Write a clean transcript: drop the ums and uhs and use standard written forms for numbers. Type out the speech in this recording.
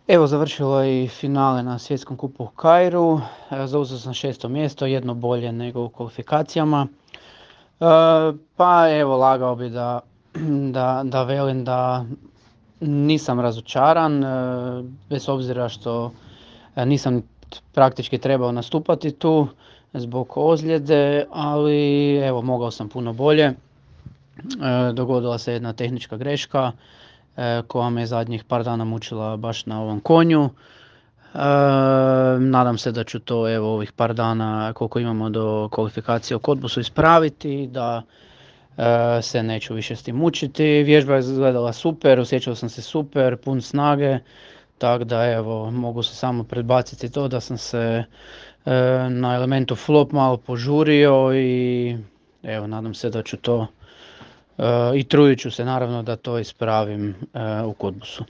Evo, završilo je i finale na Svjetskom kupu u Kairu, zauzeo sam 6. mjesto, jedno bolje nego u kvalifikacijama. Pa evo, lagao bi da velim da nisam razočaran, bez obzira što nisam praktički trebao nastupati tu zbog ozljede, ali evo, mogao sam puno bolje. Dogodila se jedna tehnička greška koja me zadnjih par dana mučila baš na ovom konju. Nadam se da ću to evo ovih par dana koliko imamo do kvalifikacije u Cottbusu ispraviti, da se neću više s tim mučiti. Vježba je izgledala super, osjećao sam se super, pun snage, tako da evo mogu se samo predbaciti to da sam se na elementu flop malo požurio i evo nadam se da ću to i trudit ću se naravno da to ispravim u Cottbusu.